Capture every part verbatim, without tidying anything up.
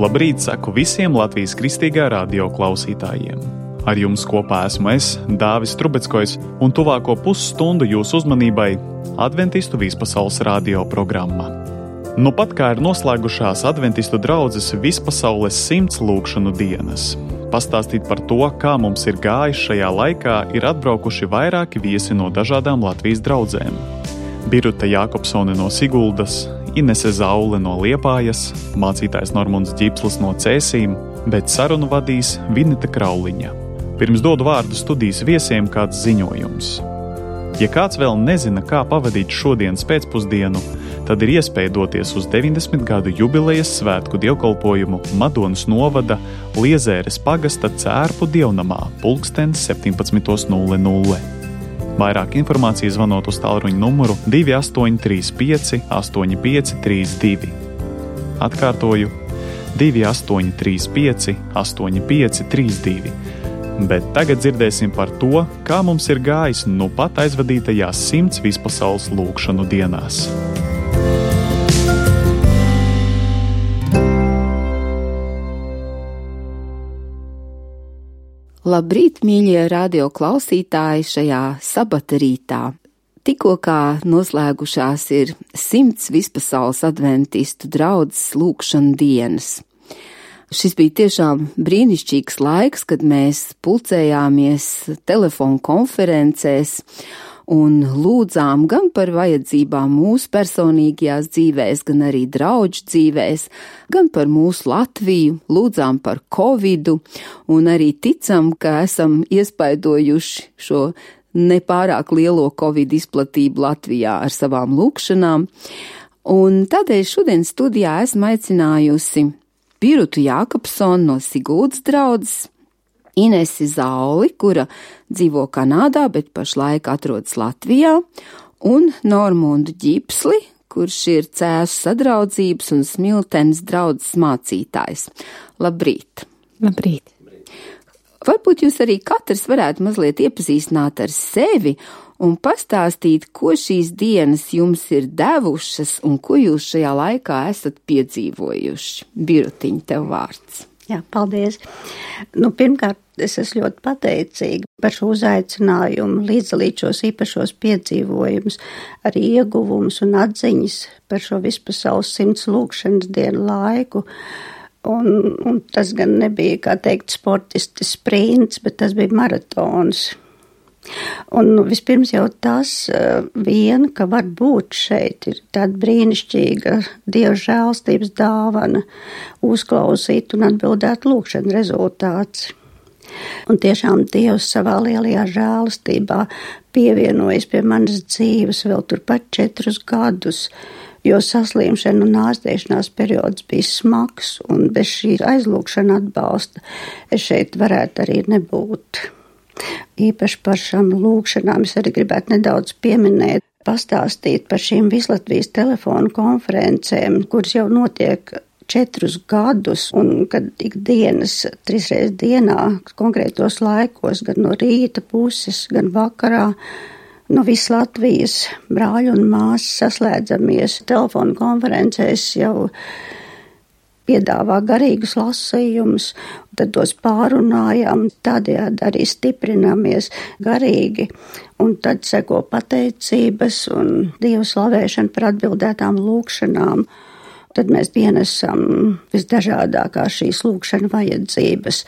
Labrīt, saku visiem Latvijas Kristīgā radio klausītājiem. Ar jums kopā esmu es, Dāvis Trubeckojs, un tuvāko pusstundu jūsu uzmanībai Adventistu vispasaules radio programma. Nu pat kā ir noslēgušās Adventistu draudzes vispasaules simts lūgšanu dienas. Pastāstīt par to, kā mums ir gājis šajā laikā, ir atbraukuši vairāki viesi no dažādām Latvijas draudzēm. Biruta Jākopsone no Siguldas, Inese Zaule no Liepājas, mācītājs Normunds Ģipslis no Cēsīm, bet sarunu vadīs Vineta Krauliņa. Pirms dodu vārdu studijas viesiem kāds ziņojums. Ja kāds vēl nezina, kā pavadīt šodienas pēcpusdienu, tad ir iespēja doties uz deviņdesmit gadu jubilejas svētku dievkalpojumu Madonas novada Liezēres pagasta Cērpu dievnamā pulkstens septiņpadsmit nulle nulle. Vairāk informācijas zvanot uz tālruņa numuru divi astoņi trīs pieci astoņi pieci trīs divi. Atkārtoju divi astoņi trīs pieci astoņi pieci trīs divi. Bet tagad dzirdēsim par to, kā mums ir gājis nu pat aizvadītajās simts vispasaules lūgšanu dienās. Labrīt, mīļie radio klausītāji, šajā sabata rītā. Tikko kā noslēgušās ir simts vispasaules adventistu draudzes lūgšanu dienas. Šis bija tiešām brīnišķīgs laiks, kad mēs pulcējāmies telefonu konferencēs un lūdzām gan par vajadzībām mūsu personīgajās dzīvēs, gan arī draudžu dzīvēs, gan par mūsu Latviju, lūdzām par Covidu un arī ticam, ka esam iespaidojuši šo nepārāk lielo Covid izplatību Latvijā ar savām lūgšanām. Un tādēļ šodien studijā esmu aicinājusi Birutu Jākopsoni no Siguldas draudzes, Inesi Zauli, kura dzīvo Kanādā, bet pašlaik atrodas Latvijā, un Normundu Ģipsli, kurš ir Cēsu sadraudzības un Smiltenes draudzes mācītājs. Labrīt! Labrīt! Varbūt jūs arī katrs varētu mazliet iepazīstināt ar sevi un pastāstīt, ko šīs dienas jums ir devušas un ko jūs šajā laikā esat piedzīvojuši. Birutiņ, tev vārds. Jā, paldies. Nu, pirmkārt, es esmu ļoti pateicīga par šo uzaicinājumu līdzdalīt šos īpašos piedzīvojumus, arī ieguvumus un atziņas par šo vispasaules simts lūgšanas dienu laiku. Un, un tas gan nebija, kā teikt, sportisti sprints, bet tas bija maratons. Un nu, vispirms jau tas uh, vien, ka var būt šeit, ir tāda brīnišķīga Dieva žēlstības dāvana, uzklausīt un atbildēt lūgšanu rezultāts. Un tiešām Dievs savā lielajā žēlstībā pievienojas pie manas dzīves vēl turpat četrus gadus, jo saslimšana un ārstēšanās periods bija smags, un bez šī aizlūgšana atbalsta es šeit varētu arī nebūt. Īpaši par šām lūgšanām es arī gribētu nedaudz pieminēt, pastāstīt par šīm Vislatvijas telefonu konferencēm, kuras jau notiek četrus gadus, un kad ikdienas, trīsreiz dienā, konkrētos laikos, gan no rīta puses, gan vakarā, no visas Latvijas brāļi un māsas saslēdzamies telefonu konferencēs jau piedāvā garīgus lasījumus, tad tos pārunājām, tādējādi arī stiprināmies garīgi, un tad seko pateicības un Dievu slavēšana par atbildētām lūgšanām. Tad mēs pienesam visdažādākās šīs lūgšana vajadzības,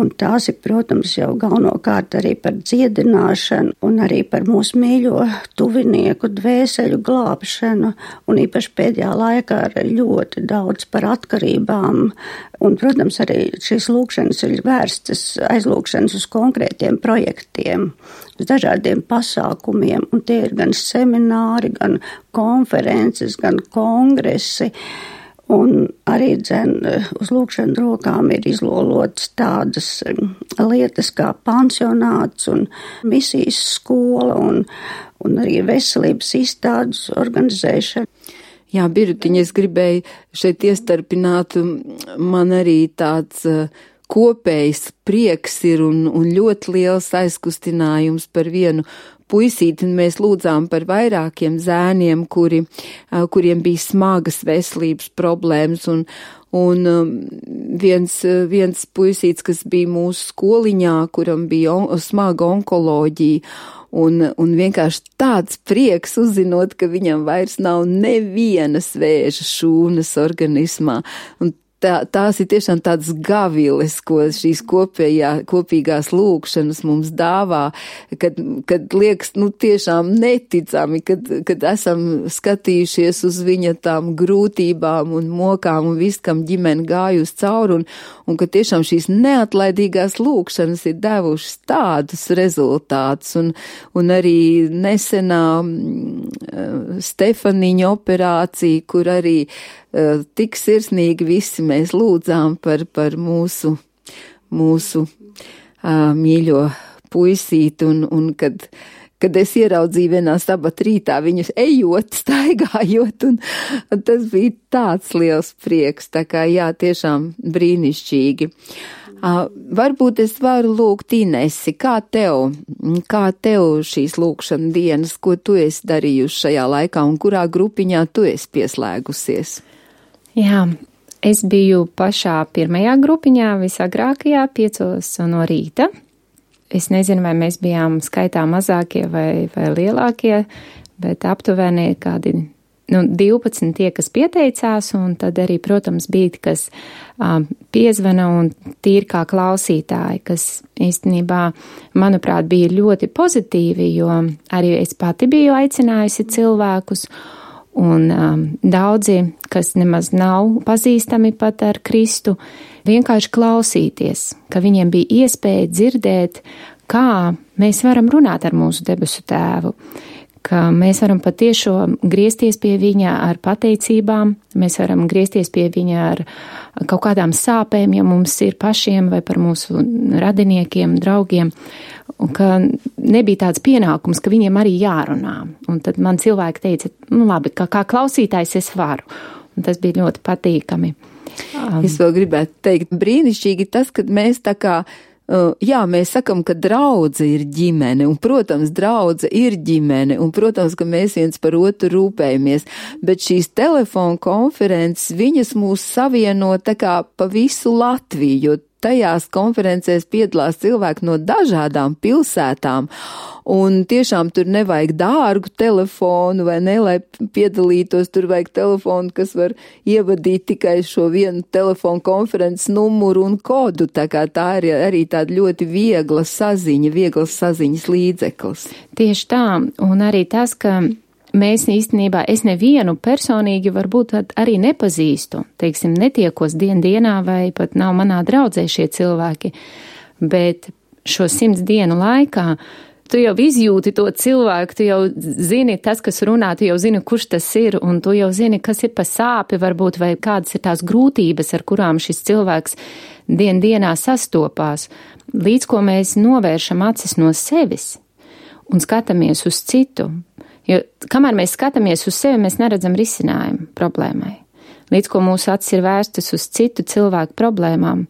un tās ir, protams, jau galvenokārt arī par dziedināšanu un arī par mūsu mīļo tuvinieku dvēseļu glābšanu, un īpaši pēdējā laikā arī ļoti daudz par atkarībām, un, protams, arī šīs lūgšanas ir vērstas aizlūgšanas uz konkrētiem projektiem, uz dažādiem pasākumiem, un tie ir gan semināri, gan konferences, gan kongresi, un arī dzen uz lūgšanu rokām ir izlolotas tādas lietas kā pansionāts un misijas skola un, un arī veselības izstādes organizēšana. Jā, Birutiņa, es gribēju šeit iestarpināt, man arī tāds kopējs prieks ir un, un ļoti liels aizkustinājums par vienu puisīti, un mēs lūdzām par vairākiem zēniem, kuri, kuriem bija smagas veselības problēmas, un, un viens, viens puisīts, kas bija mūsu skoliņā, kuram bija on, smaga onkoloģija, un, un vienkārši tāds prieks uzzinot, ka viņam vairs nav nevienas vēža šūnas organismā, un Tā, tās ir tiešām tādas gaviles, ko šīs kopējā, kopīgās lūkšanas mums dāvā, kad, kad liekas, nu, tiešām neticami, kad, kad esam skatījušies uz viņa tām grūtībām un mokām un viss, kam ģimene gājusi cauri, un, un ka tiešām šīs neatlaidīgās lūkšanas ir devušas tādus rezultātus, un, un arī nesenā uh, Stefaniņa operācija, kur arī uh, tik sirsnīgi visi mēs lūdzām par, par mūsu, mūsu uh, mīļo puisīti, un, un kad, kad es ieraudzīju vienā sabata rītā viņus ejot, staigājot, un, un tas bija tāds liels prieks, tā kā jā, tiešām brīnišķīgi. Uh, varbūt es varu lūgt Inesi, kā tev, kā tev šīs lūkšana dienas, ko tu esi darījusi šajā laikā un kurā grupiņā tu esi pieslēgusies? Jā, es biju pašā pirmajā grupiņā, visagrākajā, piecos no rīta. Es nezinu, vai mēs bijām skaitā mazākie vai, vai lielākie, bet aptuveni kādi nu, divpadsmit tie, kas pieteicās, un tad arī, protams, bija, kas um, piezvana un tīri kā klausītāji, kas īstenībā, manuprāt, bija ļoti pozitīvi, jo arī es pati biju aicinājusi cilvēkus, un um, daudzi, kas nemaz nav pazīstami pat ar Kristu, vienkārši klausīties, ka viņiem bija iespēja dzirdēt, kā mēs varam runāt ar mūsu debesu tēvu, ka mēs varam patiešām griezties pie viņa ar pateicībām, mēs varam griezties pie viņa ar kaut kādām sāpēm, ja mums ir pašiem vai par mūsu radiniekiem, draugiem, un ka nebija tāds pienākums, ka viņiem arī jārunā. Un tad man cilvēki teica, nu labi, kā, kā klausītājs es varu, un tas bija ļoti patīkami. Um, es vēl gribētu teikt, brīnišķīgi tas, kad mēs tā kā Uh, jā, mēs sakam, ka draudze ir ģimene, un, protams, draudze ir ģimene, un, protams, ka mēs viens par otru rūpējamies, bet šīs telefonu konferences, viņas mūs savieno tā kā pa visu Latviju, jo tajās konferencēs piedalās cilvēki no dažādām pilsētām, un tiešām tur nevajag dārgu telefonu, vai ne, lai piedalītos, tur vajag telefonu, kas var ievadīt tikai šo vienu telefonu konferences numuru un kodu, tā kā tā ir arī tāda ļoti viegla saziņa, vieglas saziņas līdzeklis. Tieši tā, un arī tas, ka mēs īstenībā, es nevienu personīgi varbūt arī nepazīstu, teiksim, netiekos dien dienā vai pat nav manā draudzē šie cilvēki, bet šo simts dienu laikā tu jau izjūti to cilvēku, tu jau zini tas, kas runā, tu jau zini, kurš tas ir, un tu jau zini, kas ir pa sāpi varbūt, vai kādas ir tās grūtības, ar kurām šis cilvēks dien dienā sastopās, līdz ko mēs novēršam acis no sevis un skatāmies uz citu. Jo kamēr mēs skatāmies uz sevi, mēs neredzam risinājumu problēmai. Līdz ko mūsu acis ir vērstas uz citu cilvēku problēmām,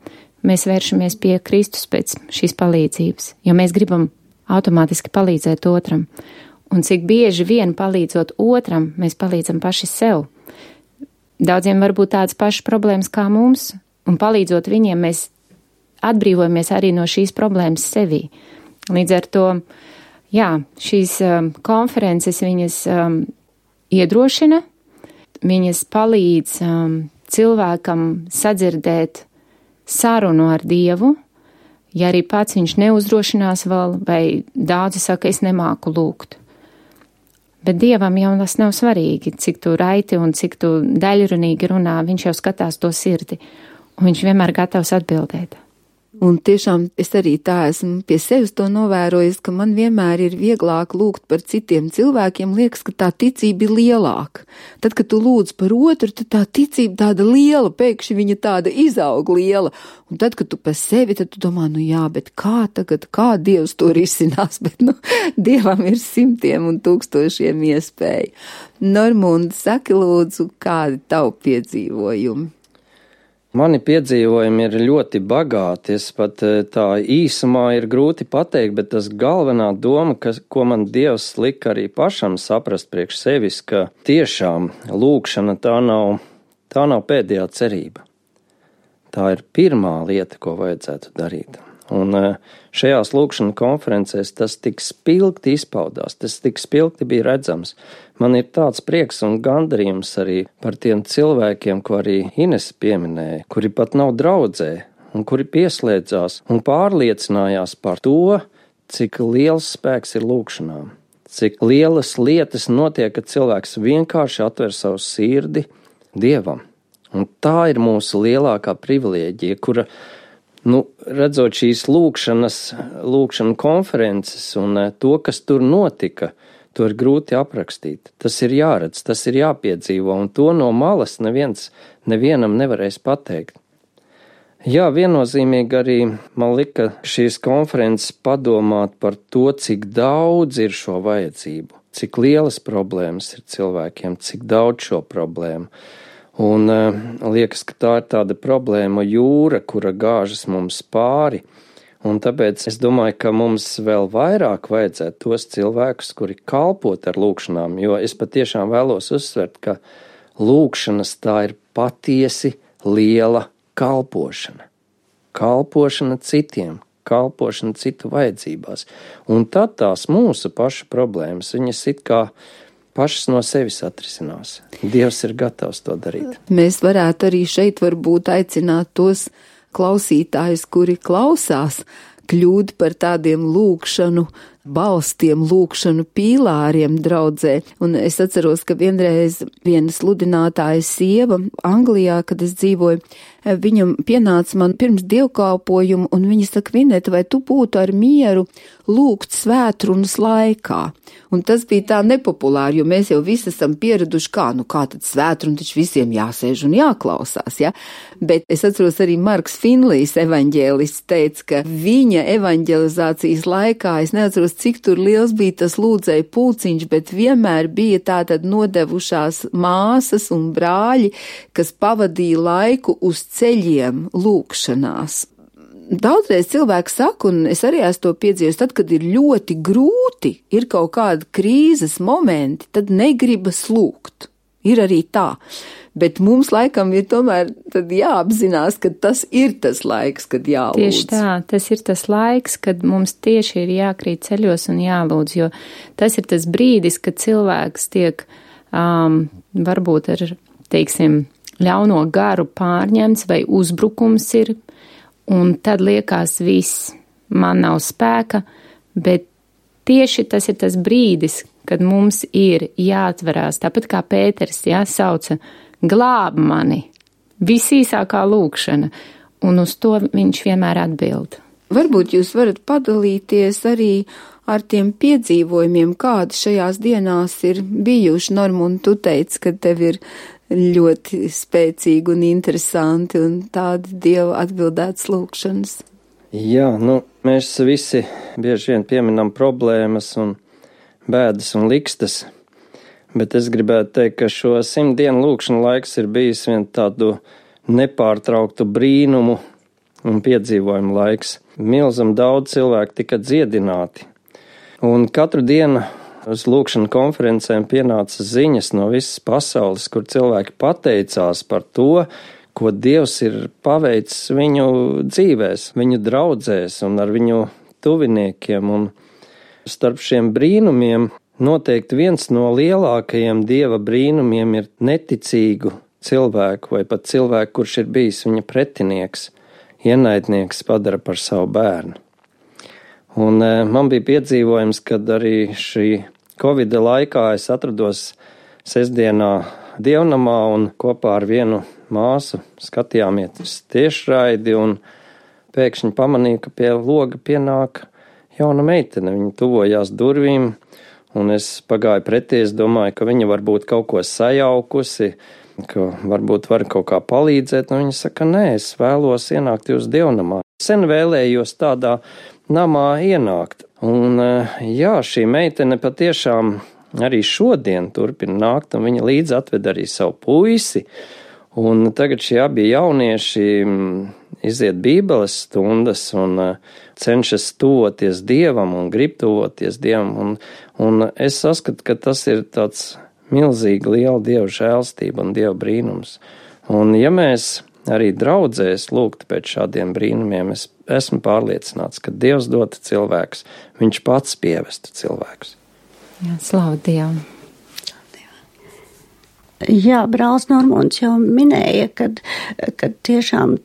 mēs vēršamies pie Kristus pēc šīs palīdzības, jo mēs gribam automātiski palīdzēt otram. Un cik bieži vien palīdzot otram, mēs palīdzam paši sev. Daudziem var būt tādas pašas problēmas kā mums, un palīdzot viņiem, mēs atbrīvojamies arī no šīs problēmas sevī. Līdz ar to jā, šīs um, konferences viņas um, iedrošina, viņas palīdz um, cilvēkam sadzirdēt sarunu ar Dievu, ja arī pats viņš neuzdrošinās vēl, vai daudzi saka, es nemāku lūgt. Bet Dievam jau tas nav svarīgi, cik tu raiti un cik tu daļrunīgi runā, viņš jau skatās to sirdi, un viņš vienmēr gatavs atbildēt. Un tiešām es arī tā esmu pie sevis to novērojis, ka man vienmēr ir vieglāk lūgt par citiem cilvēkiem, liekas, ka tā ticība ir lielāka. Tad, kad tu lūdz par otru, tad tā ticība tāda liela, pēkšņi viņa tāda izaug liela. Un tad, kad tu par sevi, tad tu domā, nu jā, bet kā tagad, kā Dievs to risinās, bet, nu, Dievam ir simtiem un tūkstošiem iespēju. Normunda, saki lūdzu, kādi tavu piedzīvojumi? Mani piedzīvojumi ir ļoti bagāti, es pat tā īsumā ir grūti pateikt, bet tas galvenā doma, kas, ko man Dievs lika arī pašam saprast priekš sevis, ka tiešām lūkšana tā nav, tā nav pēdējā cerība. Tā ir pirmā lieta, ko vajadzētu darīt. Un šajās lūkšana konferencēs tas tik spilgti izpaudās, tas tik spilgti bija redzams. Man ir tāds prieks un gandarījums arī par tiem cilvēkiem, ko arī Ines pieminēja, kuri pat nav draudzē un kuri pieslēdzās un pārliecinājās par to, cik liels spēks ir lūkšanām, cik lielas lietas notiek, kad cilvēks vienkārši atver savu sirdi Dievam. Un tā ir mūsu lielākā privilēģija, kura Nu, redzot šīs lūkšanas, lūkšana konferences un to, kas tur notika, to ir grūti aprakstīt. Tas ir jāredz, tas ir jāpiedzīvo, un to no malas neviens, nevienam nevarēs pateikt. Jā, viennozīmīgi arī man lika šīs konferences padomāt par to, cik daudz ir šo vajadzību, cik lielas problēmas ir cilvēkiem, cik daudz šo problēmu. Un uh, liekas, ka tā ir tāda problēma jūra, kura gāžas mums pāri, un tāpēc es domāju, ka mums vēl vairāk vajadzētu tos cilvēkus, kuri kalpot ar lūkšanām, jo es patiešām vēlos uzsvert, ka lūkšanas tā ir patiesi liela kalpošana. Kalpošana citiem, kalpošana citu vajadzībās, un tad tās mūsu pašu problēmas, viņas it kā pašas no sevis atrisinās. Dievs ir gatavs to darīt. Mēs varētu arī šeit varbūt aicināt tos klausītājus, kuri klausās, kļūt par tādiem lūkšanu balstiem, lūkšanu pīlāriem draudzē. Un es atceros, ka vienreiz viena sludinātāja sieva Anglijā, kad es dzīvoju, viņam pienāca man pirms dievkalpojumu, un viņa saka, Vineta, vai tu būtu ar mieru lūgt svētrunas laikā? Un tas bija tā nepopulāri, jo mēs jau visi esam pieraduši, kā, nu kā tad svētruna, taču visiem jāsēž un jāklausās, ja? Bet es atceros arī Marks Finlijs evaņģēlists teica, ka viņa evaņģelizācijas laikā, es neatceros, cik tur liels bija tas lūdzēju pulciņš, bet vienmēr bija tātad nodevušās māsas un brāļi, kas pavadīja laiku uz ceļiem lūkšanās. Daudzreiz cilvēki saka, un es arī esmu to piedzīvojis, tad, kad ir ļoti grūti, ir kaut kāda krīzes momenti, tad negribas lūgt. Ir arī tā. Bet mums laikam ir tomēr tad jāapzinās, ka tas ir tas laiks, kad jālūdz. Tieši tā, tas ir tas laiks, kad mums tieši ir jākrīt ceļos un jālūdz, jo tas ir tas brīdis, kad cilvēks tiek um, varbūt ar, teiksim, ļauno garu pārņemts vai uzbrukums ir, un tad liekas viss, man nav spēka, bet tieši tas ir tas brīdis, kad mums ir jāatverās, tāpat kā Pēters, jā, sauca, glāb mani, visīsākā lūkšana, un uz to viņš vienmēr atbild. Varbūt jūs varat padalīties arī ar tiem piedzīvojumiem, kādi šajās dienās ir bijuši. Normun, tu teici, ka tev ir ļoti spēcīgi un interesanti un tādi Dieva atbildētas lūkšanas. Jā, nu, mēs visi bieži vien pieminam problēmas un bēdas un likstas, bet es gribētu teikt, ka šo simt dienu lūkšanu laiks ir bijis vien tādu nepārtrauktu brīnumu un piedzīvojumu laiks. Milzam daudz cilvēku tika dziedināti, un katru dienu uz lūkšanu konferencēm pienāca ziņas no visas pasaules, kur cilvēki pateicās par to, ko Dievs ir paveicis viņu dzīvēs, viņu draudzēs un ar viņu tuviniekiem. Un starp šiem brīnumiem noteikti viens no lielākajiem Dieva brīnumiem ir neticīgu cilvēku vai pat cilvēku, kurš ir bijis viņa pretinieks, ienaidnieks padara par savu bērnu. Un e, man bija piedzīvojums, kad arī šī Covida laikā es atrados sestdienā dievnamā un kopā ar vienu māsu skatījāmies tiešraidi un pēkšņi pamanīju, ka pie loga pienāk jauna meitene. Viņa tuvojās durvīm un es pagāju pretī, es domāju, ka viņa varbūt kaut ko sajaukusi, ka varbūt var kaut kā palīdzēt. Un viņa saka, nē, es vēlos ienākt jūs dievnamā. Sen vēlējos tādā namā ienākt. Un jā, šī meitene patiešām arī šodien turpina nākt, un viņa līdz atved arī savu puisi, Un tagad šie abi jaunieši iziet bībeles stundas un cenšas tuvoties Dievam un grib tuvoties Dievam. Un, un es saskatu, ka tas ir tāds milzīgi liela Dieva žēlstība un Dieva brīnums. Un ja mēs arī draudzēs lūgt pēc šādiem brīnumiem, es esmu pārliecināts, ka Dievs dota cilvēks, viņš pats pievestu cilvēkus. Jā, slavu Dievam. Jā, brālis Normons jau minēja, kad, kad tiešām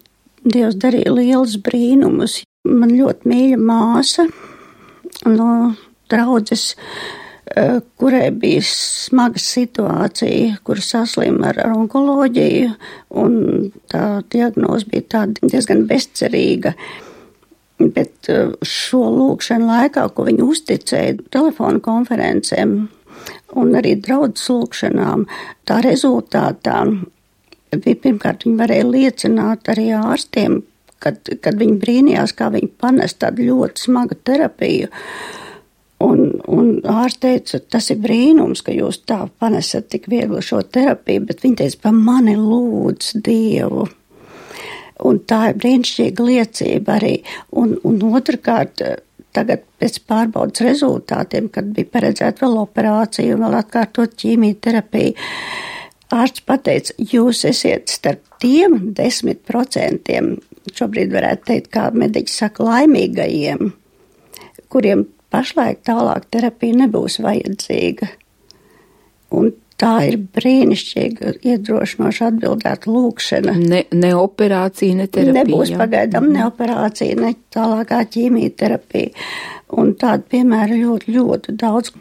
Dievs darīja lielus brīnumus. Man ļoti mīļa māsa no draudzes, kurai bija smaga situācija, kur saslima ar onkoloģiju, un tā diagnoze bija tāda diezgan bezcerīga. Bet šo lūkšanu laikā, ko viņi uzticēja telefonu konferencēm un arī draudzes lūkšanām, tā rezultātā bija pirmkārt viņi varēja liecināt arī ārstiem, kad, kad viņi brīnījās, kā viņi panes tādu ļoti smagu terapiju. Un, un ārsts teica, tas ir brīnums, ka jūs tā panesat tik viegli šo terapiju, bet viņi teica, pa mani lūdz Dievu. Un tā ir brīnišķīga liecība arī. Un, un otrkārt, tagad pēc pārbaudas rezultātiem, kad bija paredzēta vēl operācija un vēl atkārtot ķīmijterapiju, ārsts pateica, jūs esiet starp tiem desmit procentiem, šobrīd varētu teikt, kā mediķi saka, laimīgajiem, kuriem pašlaik tālāk terapija nebūs vajadzīga. Un tā ir brīnišķīga, iedrošinoša atbildēta lūkšana. Ne, ne operācija, ne terapija. Nebūs pagaidām ne operācija, ne tālākā ķīmijterapija. Un tādu piemēru ļoti, ļoti daudz.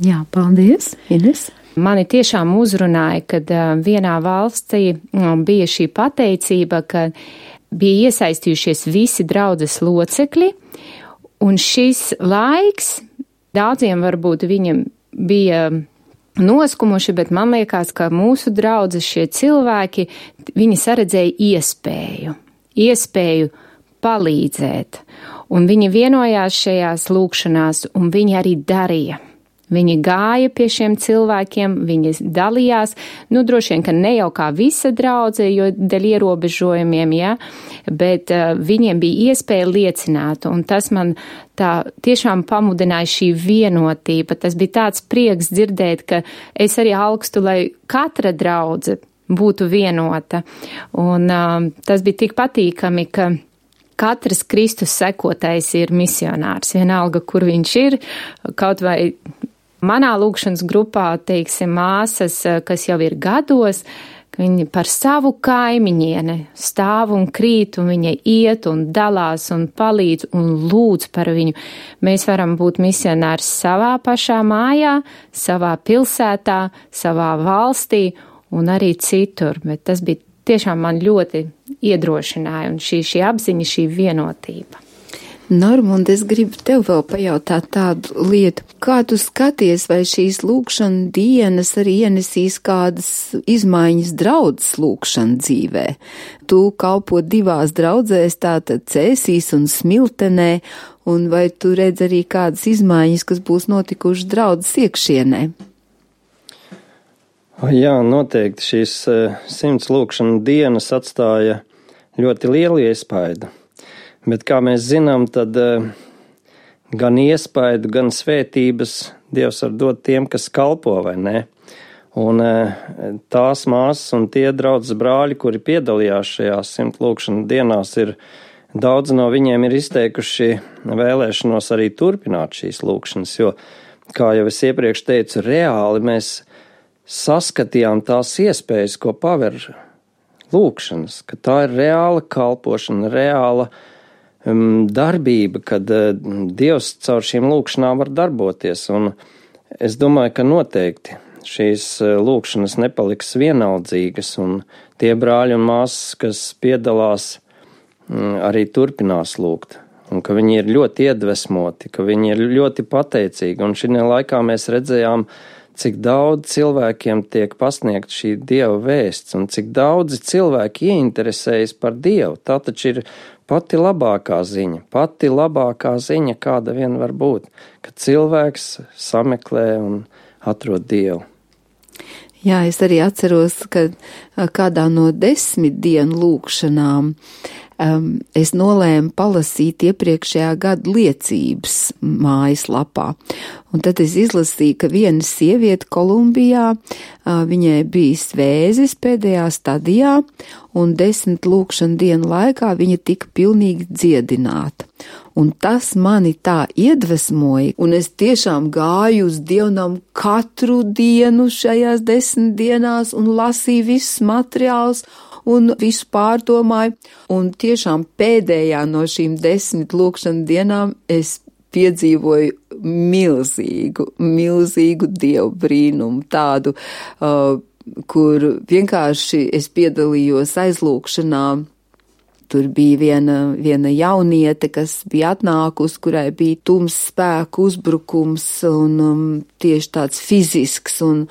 Jā, paldies, Ines. Mani tiešām uzrunāja, kad vienā valstī bija šī pateicība, ka bija iesaistījušies visi draudzes locekļi, un šis laiks daudziem varbūt viņam bija noskumuši, bet man liekas, ka mūsu draudzes šie cilvēki, viņi saredzēja iespēju, iespēju palīdzēt, un viņi vienojās šajās lūkšanās, un viņi arī darīja. Viņi gāja pie šiem cilvēkiem, viņi dalījās, nu droši vien, ka ne jau kā visa draudze, jo dēļ ierobežojumiem, ja, bet uh, viņiem bija iespēja liecināt, un tas man tā tiešām pamudināja šī vienotība. Tas bija tāds prieks dzirdēt, ka es arī augstu, lai katra draudze būtu vienota, un uh, tas bija tik patīkami, ka katrs Kristus sekotais ir misionārs, vienalga, kur viņš ir, kaut vai manā lūkšanas grupā, teiksim, māsas, kas jau ir gados, ka viņi par savu kaimiņieni stāv un krīt, un viņa iet un dalās un palīdz un lūdz par viņu. Mēs varam būt misionārs savā pašā mājā, savā pilsētā, savā valstī un arī citur, bet tas bija tiešām man ļoti iedrošināja, un šī, šī apziņa, šī vienotība. Normund, es gribu tev vēl pajautāt tādu lietu. Kā tu skaties, vai šīs lūkšana dienas arī ienesīs kādas izmaiņas draudzes lūkšana dzīvē? Tu kalpo divās draudzēs, tātad Cēsīs un Smiltenē, un vai tu redz arī kādas izmaiņas, kas būs notikušas draudzes iekšienē? Jā, noteikti šīs simts lūkšana dienas atstāja ļoti lielu iespaidu. Bet, kā mēs zinām, tad gan iespaidu, gan svētības Dievs var dot tiem, kas kalpo, vai ne? Un tās māsas un tie draudzes brāļi, kuri piedalījās šajās simt lūkšana dienās, ir daudz no viņiem ir izteikuši vēlēšanos arī turpināt šīs lūkšanas, jo, kā jau es iepriekš teicu, reāli mēs saskatījām tās iespējas, ko paver lūkšanas, ka tā ir reāla kalpošana, reāla darbība, kad Dievs caur šīm lūkšanām var darboties, un es domāju, ka noteikti šīs lūkšanas nepaliks vienaldzīgas, un tie brāļi un māsas, kas piedalās, arī turpinās lūgt, un ka viņi ir ļoti iedvesmoti, ka viņi ir ļoti pateicīgi, un šī laikā mēs redzējām, cik daudz cilvēkiem tiek pasniegt šī Dieva vēsts, un cik daudzi cilvēki ieinteresējas par Dievu. Tā taču ir pati labākā ziņa, pati labākā ziņa, kāda vien var būt, ka cilvēks sameklē un atrod Dievu. Jā, es arī atceros, ka kādā no desmit dienu lūkšanām um, es nolēmu palasīt iepriekšējā gada liecības mājaslapā. Un tad es izlasīju, ka viena sieviete Kolumbijā, uh, viņai bija svēzis pēdējā stadijā, un desmit lūkšana dienu laikā viņa tika pilnīgi dziedināta. Un tas mani tā iedvesmoja, un es tiešām gāju uz dievnam katru dienu šajās desmit dienās un lasīju visus materiālus un visu pārdomāju. Un tiešām pēdējā no šīm desmit lūkšana dienām es piedzīvoju milzīgu, milzīgu dievu brīnumu, tādu, uh, kur vienkārši es piedalījos aizlūkšanā. Tur bija viena, viena jauniete, kas bija atnākusi, kurai bija tums spēku uzbrukums un um, tieši tāds fizisks. Un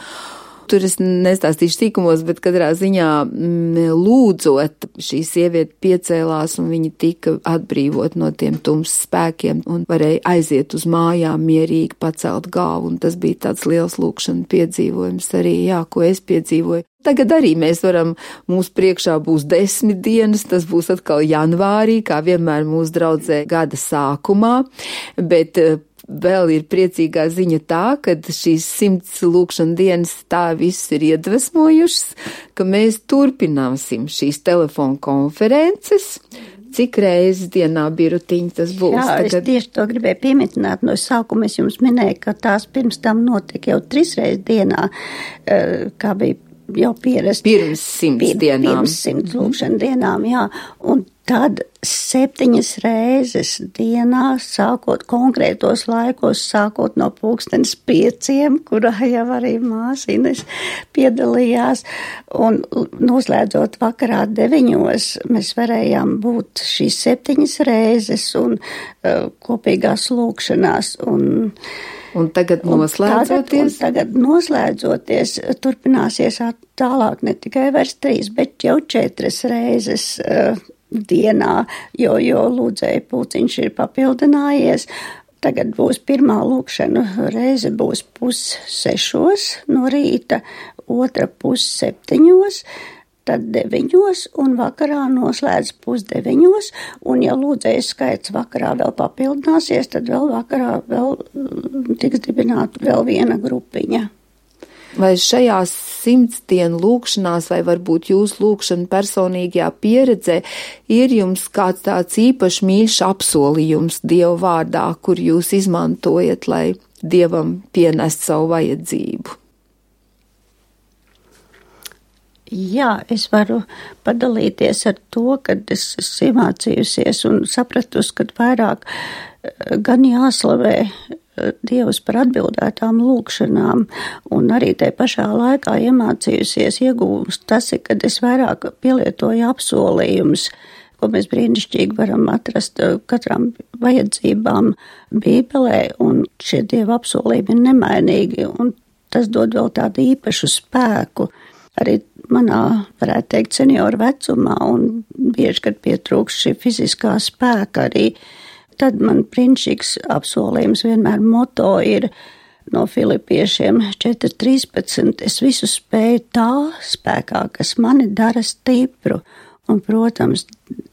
tur es nestāstīšu sīkumos, bet katrā ziņā m, lūdzot, šī sieviete piecēlās un viņa tika atbrīvot no tiem tums spēkiem un varēja aiziet uz mājām mierīgi pacelt galvu. Un tas bija tāds liels lūkšana piedzīvojums arī, jā, ko es piedzīvoju. Tagad arī mēs varam, mūsu priekšā būs desmit dienas, tas būs atkal janvārī, kā vienmēr mūsu draudzē gada sākumā, bet vēl ir priecīgā ziņa tā, ka šīs simts lūkšana dienas tā viss ir iedvesmojušas, ka mēs turpināsim šīs telefonu konferences. Cik reizes dienā birutiņi tas būs? Jā, tagad? Es tieši to gribēju pieminēt. No sākuma es jums minēju, ka tās pirms tam notika jau trīs reizes dienā, kā bija jau pierast. Pirms simts pir, dienām. Pirms simts lūkšana dienām, jā. Un tad septiņas reizes dienā, sākot konkrētos laikos, sākot no pulkstenes pieciem, kurā jau arī māsīnes piedalījās, un noslēdzot vakarā deviņos, mēs varējām būt šīs septiņas reizes un uh, kopīgās lūkšanās. Un, Un tagad noslēdzoties? Un tagad, un tagad noslēdzoties turpināsies tālāk ne tikai vairs trīs, bet jau četras reizes uh, dienā, jo, jo lūdzēja pulciņš ir papildinājies. Tagad būs pirmā lūkšana reize būs pus sešos no rīta, otra pus septiņos, tad deviņos un vakarā noslēdz pusdeviņos, un ja lūdzējas skaits vakarā vēl papildināsies, tad vēl vakarā vēl tiks dibināta vēl viena grupiņa. Vai šajās simts dienu lūkšanās, vai varbūt jūsu lūkšana personīgajā pieredzē, ir jums kāds tāds īpašs mīļš apsolījums Dieva vārdā, kur jūs izmantojat, lai Dievam pienest savu vajadzību? Jā, es varu padalīties ar to, kad es esmu iemācījusies un sapratusi, ka vairāk gan jāslavē Dievs par atbildētām lūkšanām, un arī tai pašā laikā iemācījusies iegūst tas, kad es vairāk pielietoju apsolījumus, ko mēs brīnišķīgi varam atrast katram vajadzībām Bībelē, un šie Dieva apsolījumi ir nemainīgi, un tas dod vēl tādu īpašu spēku. Arī manā, varētu teikt, senioru vecumā, un bieži, kad pietrūkst šī fiziskā spēka arī, tad man brīnišķīgs apsolījums vienmēr moto ir no Filipiešiem četri trīspadsmit. Es visu spēju tā spēkā, kas mani dara stipru. Un, protams,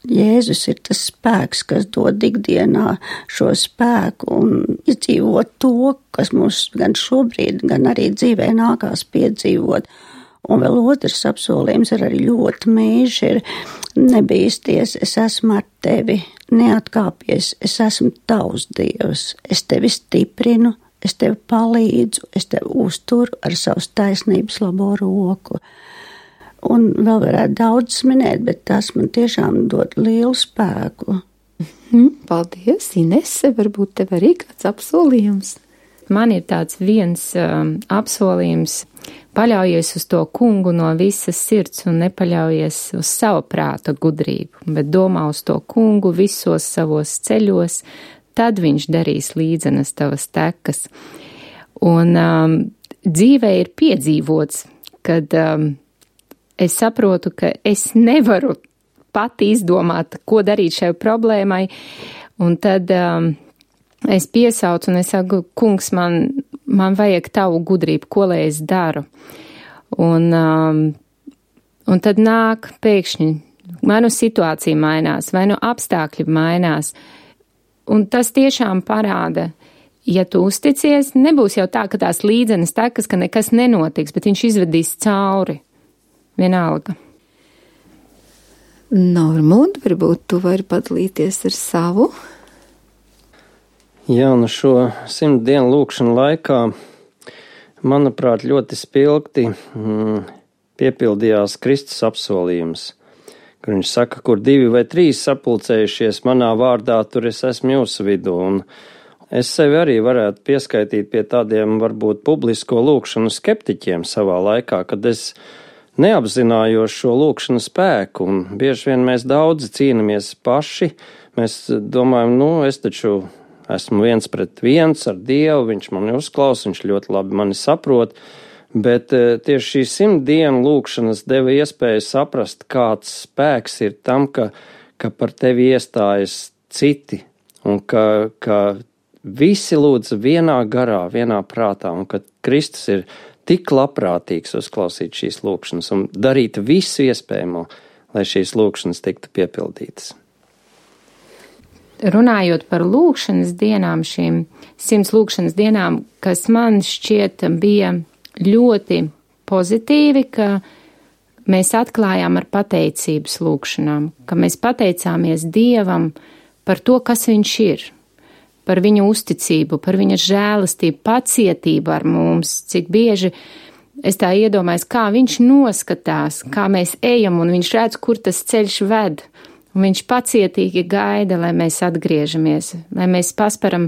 Jēzus ir tas spēks, kas dod ikdienā šo spēku un izdzīvot to, kas mums gan šobrīd, gan arī dzīvē nākās piedzīvot. Un vēl otrs apsolījums ir arī ļoti mīļš, ir nebīsties, es esmu ar tevi, neatkāpies, es esmu tavs Dievs, es tevi stiprinu, es tevi palīdzu, es tevi uzturu ar savas taisnības labo roku. Un vēl varētu daudz minēt, bet tas man tiešām dod lielu spēku. Paldies, Inese, varbūt tev arī kāds apsolījums? Man ir tāds viens um, apsolījums, paļaujies uz to kungu no visas sirds un nepaļaujies uz savu prāta gudrību, bet domā uz to kungu visos savos ceļos, tad viņš darīs līdzenas tavas tekas. Un um, dzīvē ir piedzīvots, kad um, es saprotu, ka es nevaru pati izdomāt, ko darīt šai problēmai, un tad um, es piesaucu un es saku, kungs, man, man vajag tavu gudrību, ko lai es daru. Un, um, un tad nāk pēkšņi, vai nu situācija mainās, vai nu apstākļi mainās. Un tas tiešām parāda, ja tu uzticies, nebūs jau tā, ka tās līdzenas tekas, ka nekas nenotiks, bet viņš izvedīs cauri. Vienalga. Normund, varbūt tu vari padalīties ar savu? Jā, nu šo simt dienu lūkšanu laikā, manuprāt, ļoti spilgti mm, piepildījās Kristus apsolījums, kur viņš saka, kur divi vai trīs sapulcējušies manā vārdā, tur es esmu jūsu vidū. Un es sevi arī varētu pieskaitīt pie tādiem varbūt publisko lūkšanu skeptiķiem savā laikā, kad es neapzinājos šo lūkšanu spēku, un bieži vien mēs daudzi cīnamies paši. Mēs domājam, nu, es taču esmu viens pret viens ar Dievu, viņš mani uzklausa, viņš ļoti labi mani saprot, bet tieši šī simt dienu lūkšanas deva iespēju saprast, kāds spēks ir tam, ka, ka par tevi iestājas citi, un ka, ka visi lūdz vienā garā, vienā prātā, un ka Kristus ir tik labprātīgs uzklausīt šīs lūkšanas un darīt visu iespējamo, lai šīs lūkšanas tiktu piepildītas. Runājot par lūkšanas dienām, šīm simts lūkšanas dienām, kas man šķiet bija ļoti pozitīvi, ka mēs atklājām ar pateicības lūkšanām, ka mēs pateicāmies Dievam par to, kas viņš ir, par viņa uzticību, par viņa žēlastību, pacietību ar mums, cik bieži es tā iedomājos, kā viņš noskatās, kā mēs ejam, un viņš redz, kur tas ceļš ved, un viņš pacietīgi gaida, lai mēs atgriežamies, lai mēs pasparam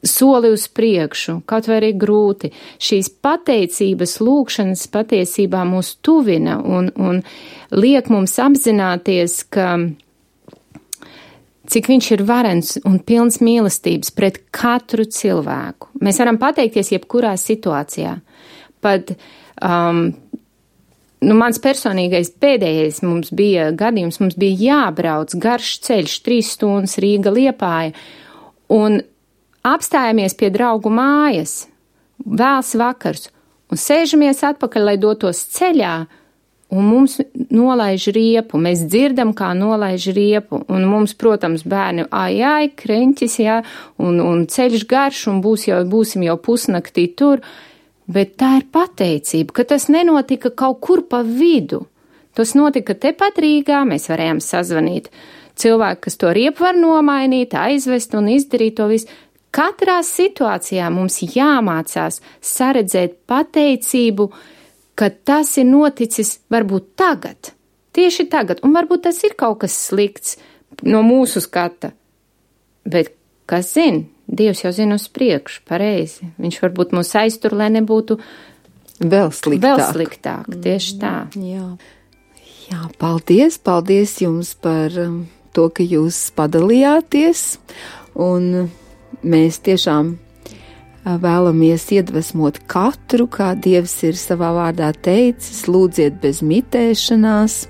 soli uz priekšu, kaut vai arī grūti. Šīs pateicības lūkšanas patiesībā mūs tuvina un, un liek mums apzināties, ka cik viņš ir varens un pilns mīlestības pret katru cilvēku. Mēs varam pateikties jebkurā situācijā. Pat um, nu, mans personīgais pēdējais mums bija gadījums, mums bija jābrauc garš ceļš, trīs stundas Rīga Liepāja, un apstājamies pie draugu mājas, vēls vakars, un sēžamies atpakaļ, lai dotos ceļā, un mums nolaiž riepu, mēs dzirdam, kā nolaiž riepu, un mums, protams, bērni, ai, ai, kreņķis, jā, un, un ceļš garš, un būs jau, būsim jau pusnaktī tur, bet tā ir pateicība, ka tas nenotika kaut kur pa vidu. Tas notika tepat Rīgā, mēs varējām sazvanīt cilvēku, kas to riepu var nomainīt, aizvest un izdarīt to visu. Katrā situācijā mums jāmācās saredzēt pateicību, ka tas ir noticis varbūt tagad, tieši tagad, un varbūt tas ir kaut kas slikts no mūsu skata, bet kas zina, Dievs jau zina uz priekšu, pareizi, viņš varbūt mūs aiztur, lai nebūtu vēl sliktāk, vēl sliktāk tieši tā. Jā. Jā, paldies, paldies jums par to, ka jūs padalījāties, un mēs tiešām vēlamies iedvesmot katru, kā Dievs ir savā vārdā teicis, lūdziet bez mitēšanās,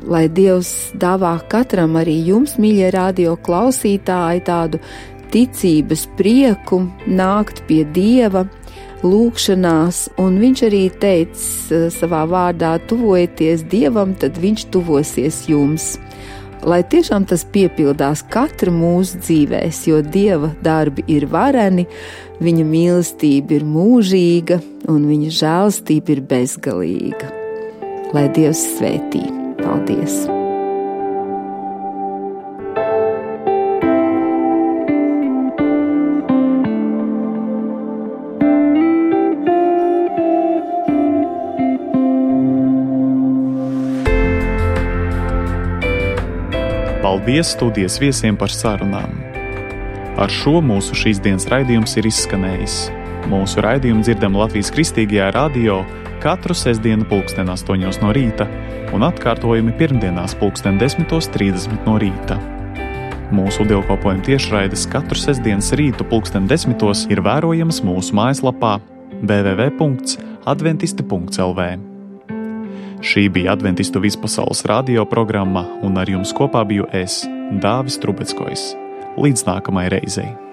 lai Dievs dāvā katram, arī jums, mīļie radio klausītāji, tādu ticības prieku nākt pie Dieva lūkšanās, un viņš arī teica savā vārdā, tuvojieties Dievam, tad viņš tuvosies jums. Lai tiešām tas piepildās katra mūsu dzīvēs, jo Dieva darbi ir vareni, viņa mīlestība ir mūžīga un viņa žēlastība ir bezgalīga. Lai Dievs svētī. Paldies! Paldies studijas viesiem par sarunām. Ar šo mūsu šīs dienas raidījums ir izskanējis. Mūsu raidījumu dzirdam Latvijas Kristīgajā radio katru sestdienu pulksten astoņos no rīta un atkārtojumi pirmdienās pulksten desmitos trīsdesmit no rīta. Mūsu dievkalpojuma tiešraides katru sestdienas rītu pulksten desmitos ir vērojamas mūsu mājaslapā w w w punkts adventisti punkts l v. Šī bija Adventistu vispasaules radio programma, un ar jums kopā biju es, Dāvis Trubeckojs. Līdz nākamai reizei!